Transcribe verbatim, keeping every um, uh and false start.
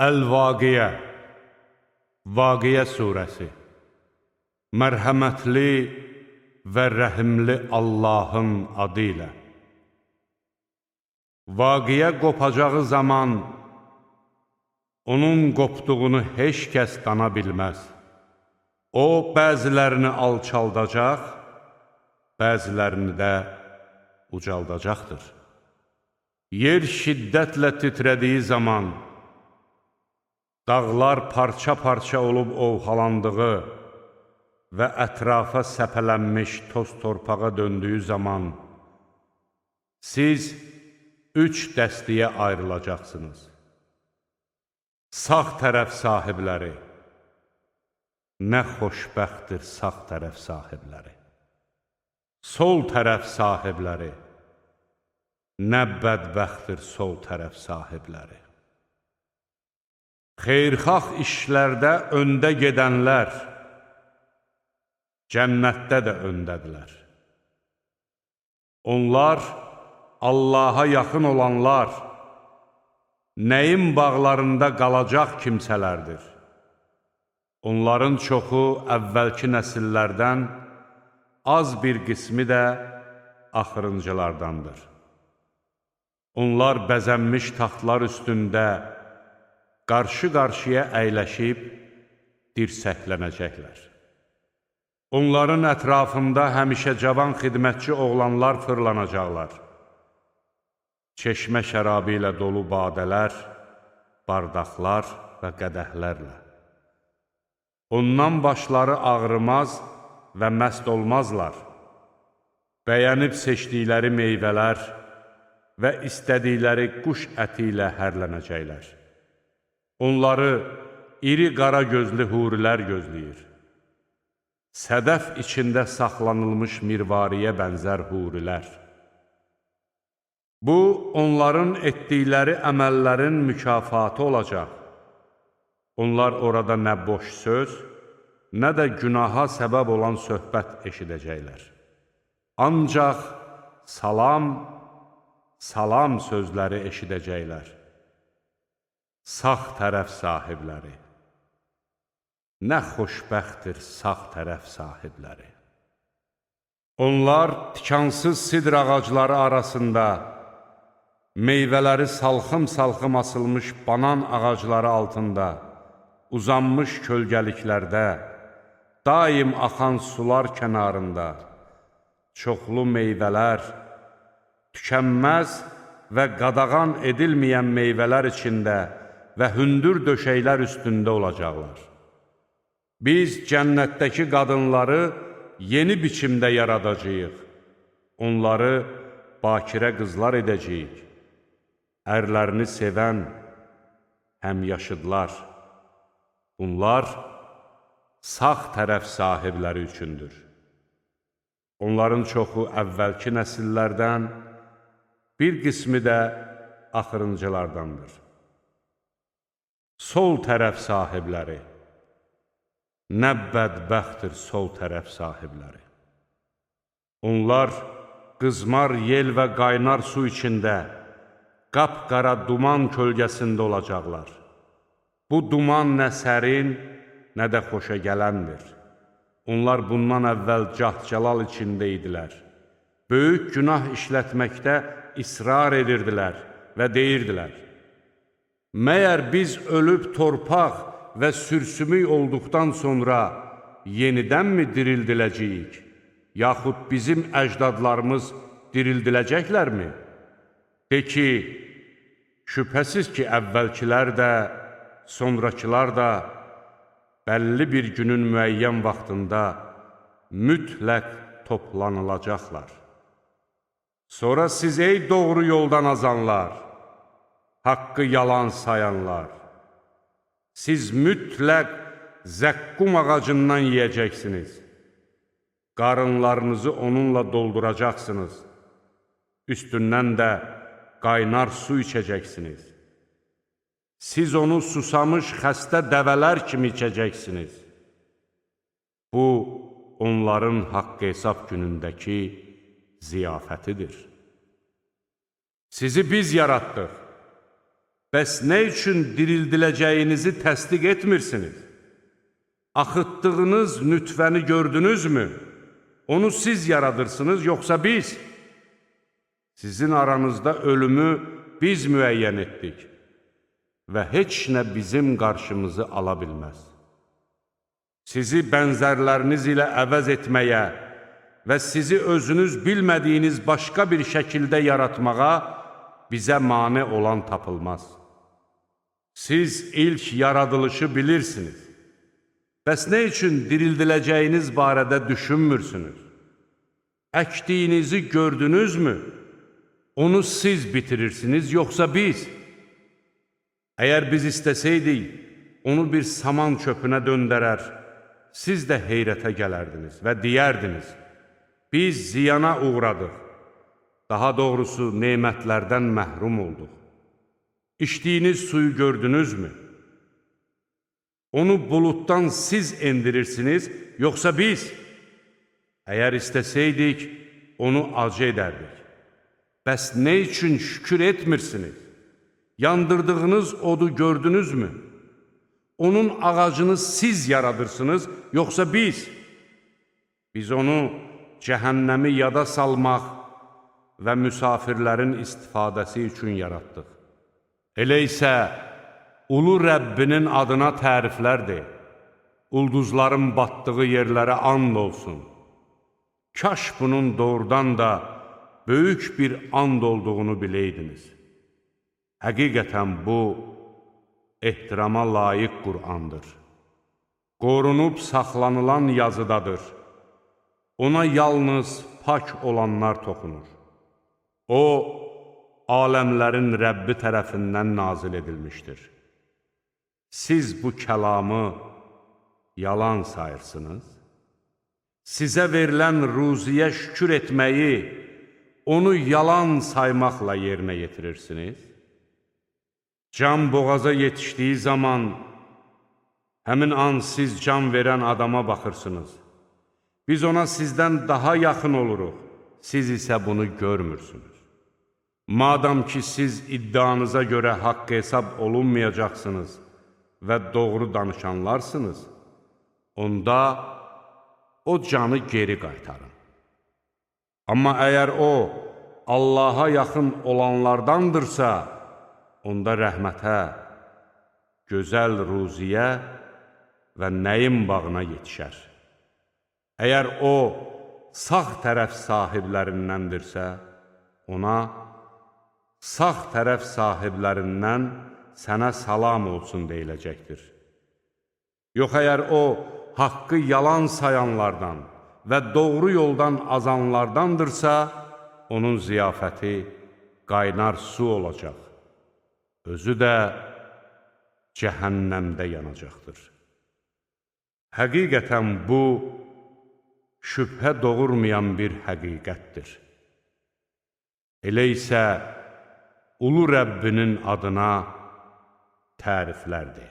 Əl-Vaqiyə Vaqiyə surəsi Mərhəmətli və rəhimli Allahın adı ilə. Vaqiyə qopacağı zaman onun qopduğunu heç kəs dana bilməz. O, bəzilərini alçaldacaq, bəzilərini də ucaldacaqdır. Yer şiddətlə titrədiyi zaman, dağlar parça-parça olub ovxalandığı və ətrafa səpələnmiş toz torpağa döndüyü zaman, siz üç dəstəyə ayrılacaqsınız. Sağ tərəf sahibləri, nə xoşbəxtdir sağ tərəf sahibləri. Sol tərəf sahibləri, nə bədbəxtdir sol tərəf sahibləri. Xeyrxalq işlərdə öndə gedənlər, cənnətdə də öndədirlər. Onlar, Allaha yaxın olanlar, nəyin bağlarında qalacaq kimsələrdir. Onların çoxu əvvəlki nəsillərdən, az bir qismi də axırıncılardandır. Onlar bəzənmiş taxtlar üstündə, qarşı-qarşıya əyləşib dirsəklənəcəklər. Onların ətrafında həmişə cavan xidmətçi oğlanlar fırlanacaqlar. Çeşmə şərabı ilə dolu badələr, bardaqlar və qədəhlərlə. Ondan başları ağrımaz və məst olmazlar. Bəyənib seçdikləri meyvələr və istədikləri quş əti ilə hərlənəcəklər. Onları iri qara gözlü hurilər gözləyir. Sədəf içində saxlanılmış mirvariyə bənzər hurilər. Bu, onların etdikləri əməllərin mükafatı olacaq. Onlar orada nə boş söz, nə də günaha səbəb olan söhbət eşidəcəklər. Ancaq salam, salam sözləri eşidəcəklər. Sağ tərəf sahibləri, nə xoşbəxtdir sağ tərəf sahibləri. Onlar tikansız sidr ağacları arasında, meyvələri salxım-salxım asılmış banan ağacları altında, uzanmış kölgəliklərdə, daim axan sular kənarında, çoxlu meyvələr, tükənməz və qadağan edilməyən meyvələr içində və hündür döşəklər üstündə olacaqlar. Biz cənnətdəki qadınları yeni biçimdə yaradacağıq. Onları bakirə qızlar edəcəyik. Ərlərini sevən həmyaşıdlar. Bunlar sağ tərəf sahibləri üçündür. Onların çoxu əvvəlki nəsillərdən, bir qismi də axırıncılardandır. Sol tərəf sahibləri, nə bədbəxtdir sol tərəf sahibləri. Onlar qızmar yel və qaynar su içində, qapqara duman kölgəsində olacaqlar. Bu duman nə sərin, nə də xoşa gələndir. Onlar bundan əvvəl cah-cəlal içində idilər. Böyük günah işlətməkdə israr edirdilər və deyirdilər: Məyər biz ölüb torpaq və sürsümük olduqdan sonra yenidənmi dirildiləcəyik, yaxud bizim əcdadlarımız dirildiləcəklərmi? De ki, şübhəsiz ki, əvvəlkilər də, sonrakılar da bəlli bir günün müəyyən vaxtında mütləq toplanılacaqlar. Sonra siz ey doğru yoldan azanlar, haqqı yalan sayanlar, siz mütləq zəqqum ağacından yiyəcəksiniz, qarınlarınızı onunla dolduracaqsınız, üstündən də qaynar su içəcəksiniz. Siz onu susamış xəstə dəvələr kimi içəcəksiniz. Bu, onların haqq hesab günündəki ziyafətidir. Sizi biz yaratdıq. Bəs nə üçün dirildiləcəyinizi təsdiq etmirsiniz? Axıtdığınız nütfəni gördünüzmü? Onu siz yaradırsınız, yoxsa biz? Sizin aranızda ölümü biz müəyyən etdik və heç nə bizim qarşımızı ala bilməz. Sizi bənzərləriniz ilə əvəz etməyə və sizi özünüz bilmədiyiniz başqa bir şəkildə yaratmağa bizə mane olan tapılmaz. Siz ilk yaradılışı bilirsiniz. Bəs nə üçün dirildiləcəyiniz barədə düşünmürsünüz? Əkdiyinizi gördünüzmü? Onu siz bitirirsiniz, yoxsa biz? Əgər biz istəsəydik, onu bir saman çöpünə döndərər, siz də heyrətə gələrdiniz və deyərdiniz, biz ziyana uğradıq, daha doğrusu nemətlərdən məhrum olduq. İçdiyiniz suyu gördünüzmü? Onu buluddan siz endirirsiniz, yoxsa biz? Əgər istəsəydik, onu acı edərdik. Bəs nə üçün şükür etmirsiniz? Yandırdığınız odu gördünüzmü? Onun ağacını siz yaradırsınız, yoxsa biz? Biz onu cəhənnəmi yada salmaq və müsafirlərin istifadəsi üçün yaratdıq. Elə isə ulu Rəbbinin adına təriflər de, ulduzların batdığı yerlərə and olsun. Kaş bunun doğrudan da böyük bir and olduğunu biləydiniz. Həqiqətən bu, ehtirama layiq Qur'andır. Qorunub saxlanılan yazıdadır. Ona yalnız pak olanlar toxunur. O, aləmlərin Rəbbi tərəfindən nazil edilmişdir. Siz bu kəlamı yalan sayırsınız. Sizə verilən ruziyə şükür etməyi, onu yalan saymaqla yerinə yetirirsiniz. Can boğaza yetişdiyi zaman, həmin an siz can verən adama baxırsınız. Biz ona sizdən daha yaxın oluruq, siz isə bunu görmürsünüz. Madam ki, siz iddianıza görə haqq hesab olunmayacaqsınız və doğru danışanlarsınız, onda o canı geri qaytarın. Amma əgər o, Allaha yaxın olanlardandırsa, onda rəhmətə, gözəl ruziyə və nəyin bağına yetişər. Əgər o, sağ tərəf sahiblərindəndirsə, ona, sağ tərəf sahiblərindən sənə salam olsun deyiləcəkdir. Yox, əgər o, haqqı yalan sayanlardan və doğru yoldan azanlardandırsa, onun ziyafəti qaynar su olacaq. Özü də cəhənnəmdə yanacaqdır. Həqiqətən bu, şübhə doğurmayan bir həqiqətdir. Elə isə ulu Rəbbinin adına təriflərdir.